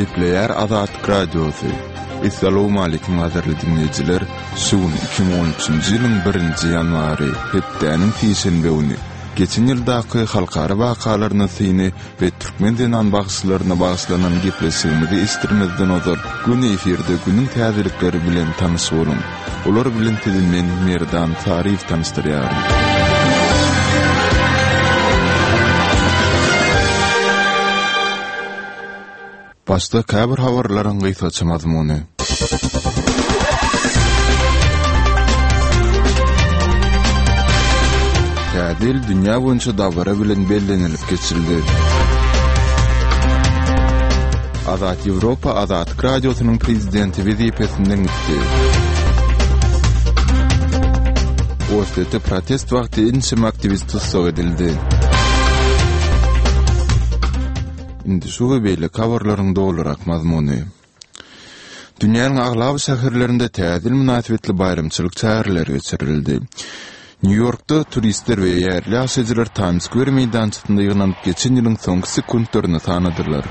Gepleýär Azatlyk Radiosy. Essalawmaleýkim gadyrly diňleýjiler! Şu gün 2013-nji ýylyň birinji ýanwary, hepdäniň sişenbe güni. Geçen ýyldaky halkara wakalaryna syny we türkmen zenan bagşylaryna bagyşlanan gepleşigimizi eşitdirmezden ozal, göni efirde günüň täzelikleri bilen tanyş boluň. Olar bilen sizi men, Merdan Saryýew tanyşdyrýaryn. Başda käbir habarlaryň gysgaça mazmuny. Täze ýyl dünýä boýunça dabara bilen bellenilip geçildi. Azat Ýewropa Azatlyk Radiosynyň prezidenti wezipesinden gitdi. Orsýetde protest wagty ençeme aktiwist tussag edildi. Indi şu we beýleki habarlaryň dolurak mazmuny. Dünýäniň aglaba şäherlerinde Täze ýyl mynasybetli baýramçylyk çäreleri geçirildi. Nýu-Ýorkda turistler we ýerli ýaşaýjylar Taýms-skwer meýdançasynda ýygnanyp geçen ýylyň soňky sekuntlaryny sanadylar.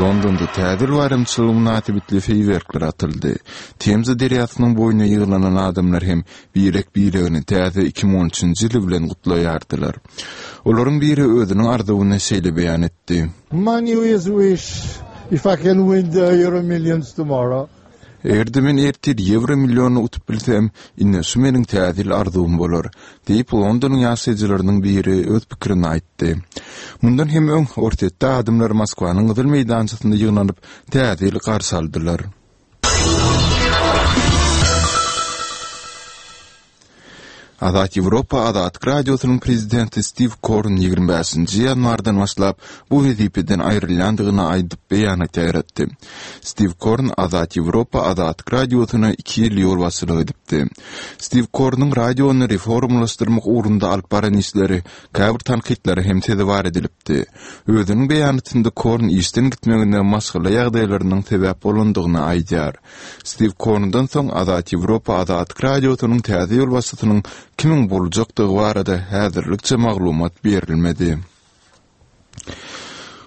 Londonda Täze ýyl baýramçylygy mynasybetli feýwerkler atyldy. Temza derýasynyň boýuna ýygnanan adamlar hem birek-biregini täze 2013-nji ýyly bilen gutlaýardylar. Olaryň biri özüniň arzuwyny şeýle beýan etdi. My New Year's wish, if I can win the Euro Millions tomorrow. Eger-de men ertir ýewro millionyny utup bilsem, ine şu meniň täze ýyl arzuwym bolar, diýip, Londonyň ýaşaýjylarynyň biri öz pikirini aýtdy. Mundan hem öň, Orsýetde adamlar Moskwanyň Gyzyl meýdançasynda ýygnanyp, täze ýyly garşy aldylar. Azat Ýewropa Azatlyk Radiosynyň prezidenti Stiw Korn 25-nji ýanwardan başlap bu wezipeden aýrylýandygyny aýdyp beýanat ýaýratdy. Stiw Korn Azat Ýewropa Azatlyk Radiosyna iki ýyl ýolbaşçylyk edipdi. Stiw Kornuň radiony reformalaşdyrmak ugrunda alyp baran işleri käbir tankytlara hem sezewar edilipdi. Özüniň beýanatynda Korn işden gitmegine maşgala ýagdaýlarynyň sebäp bolandygyny aýdýar. Stiw Korndan soň Azat Ýewropa Azatlyk Radiosynyň täze ýolbaşçysynyň kimiň boljakdygy barada häzirlikçe maglumat berilmedi.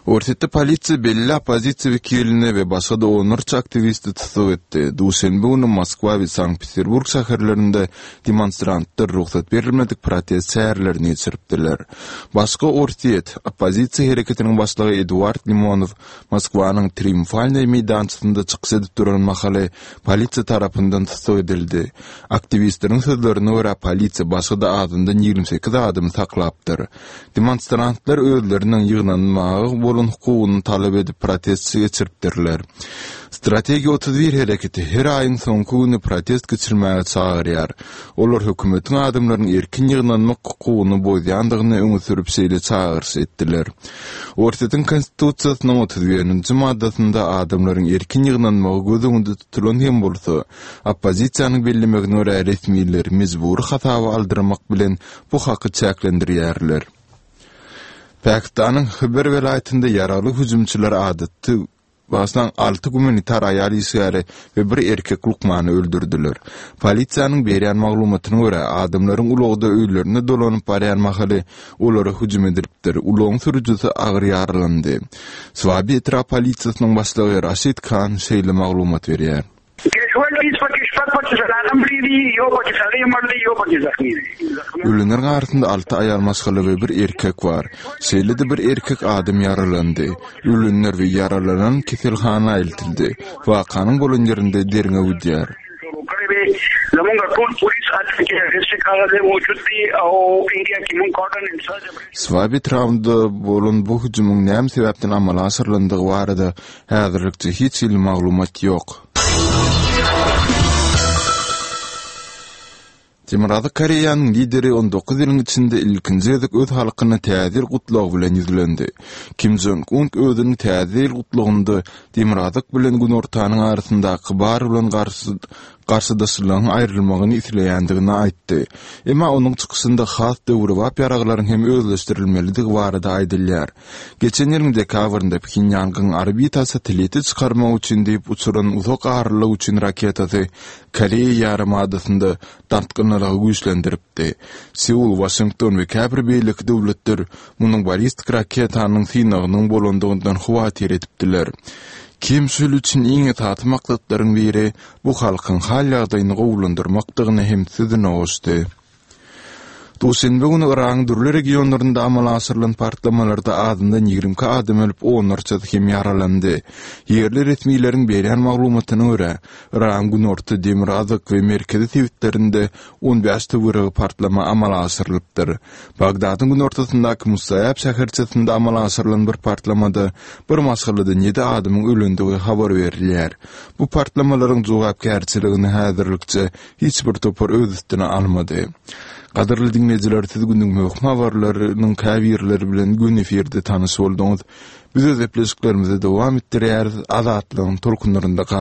Orsýetde polisiýa belli oppozisiýa wekilini we başga-da onlarça aktiwisti tussag etdi. Duşenbe güni Moskwa we Sankt-Peterburg şäherlerinde demonstrantlar rugsat berilmedik protest çärelerini geçiripdiler. Başga Orsýet oppozisiýa hereketiniň başlygy Eduard Limonow Moskwanyň Triumfalnyý meýdançasynda çykyş edip duran mahaly polisiýa tarapyndan tussag edildi. Aktiwistleriň sözlerine görä, polisiýa başga-da azyndan 28 adamy saklapdyr. Demonstrantlar özleriniň ýygnanmaga bolan hukugyny talap edip protest geçiripdirler. Strategiýa 31 hereketi her aýyň soňky güni protest geçirmäge çagyrýar. Olar hökümetiň adamlaryň erkin ýygnanmak hukugyny bozýandygyny öňe sürüp şeýle çagyryş etdiler. Orsýetiň Konstitusiýasynyň 31-nji maddasynda adamlaryň erkin ýygnanmagy göz öňünde tutulan hem bolsa, oppozisiýanyň bellemegine görä resmiler mejbury hasaba aldyrmak bilen bu haky çäklendirýärler. Pakistanyň Hyber welaýatynda ýaragly hüjümçiler adaty Bagyşlaň, alty gumanitar aýal işgäri we bir erkek lukmany öldürdiler. Polisiýanyň berýän maglumatyna görä, adamlaryň ulagda öýlerine dolanyp barýan mahaly olara hüjüm edilipdir, ulagyň sürüjisi agyr ýaralandy. Swabi etrap polisiýasynyň başlygy Raşid Khan şeýle maglumat berýär. Ölenleriň arasynda alty aýal maşgala we bir erkek bar. Şeýle-de bir erkek adam ýaralandy. Ölenler we ýaralanan keselhana eltildi. Wakanyň bolan ýerinde derňew gidýär. Swabi etrabynda bolan bu hüjümiň näme sebäpden amala aşyrylandygy barada häzirlikçe hiç hili maglumat ýok. Demirgazyk Koreýanyň lideri 19 ýylyň içinde ilkinji gezek öz halkyna Täze ýyl gutlagy bilen ýüzlendi. Kim Jong Un özüniň Täze ýyl gutlagynda Demirgazyk bilen Günortanyň arasyndaky bar bolan garşy. garşydaşlygyň aýrylmagyny isleýändigini aýtdy. Emma onuň çykyşynda has döwrebap ýaraglaryň hem özleşdirilmelidigi barada aýdylýar. Geçen ýylyň dekabrynda Phenýangyň orbita satelliti çykarmak üçin diýip uçuran uzak aralyk üçin raketasy Koreýa ýarymadasynda dartgynlylygy güýçlendiripdi. Seul, Waşington we käbir beýleki döwletler munuň ballistik raketanyň synagynyň bolandygyndan howatyr edipdiler. Kim şu ýyl üçin iň esasy maksatlaryň biri bu halkyň hal-ýagdaýyny gowulandyrmakdygyny hem sözüne goşdy. Duşenbe güni Yragyň dürli regionlarynda amala aşyrylan partlamalarda azyndan 22 adam ölüp, onlarçasy hem ýaralandy. Ýerli resmileriň berýän maglumatyna görä, Yragyň günorta, demirgazyk we merkezi sebitlerinde 15 töweregi partlama amala aşyrylypdyr. Bagdadyň günortasyndaky Musaýab şäherçesinde amala aşyrylan bir partlamada bir maşgaladan ýedi adamyň ölendigi habar berilýär. Bu partlamalaryň jogapkärçiligini häzirlikçe hiç bir topar öz üstüne almady. Gadyrly diňleýjiler, siz günüň möhüm habarlarynyň käbirleri bilen göni efirde tanyş bolduňyz. Biz öz gepleşiklerimizi dowam etdirýäris, Azatlygyň tolkunlarynda.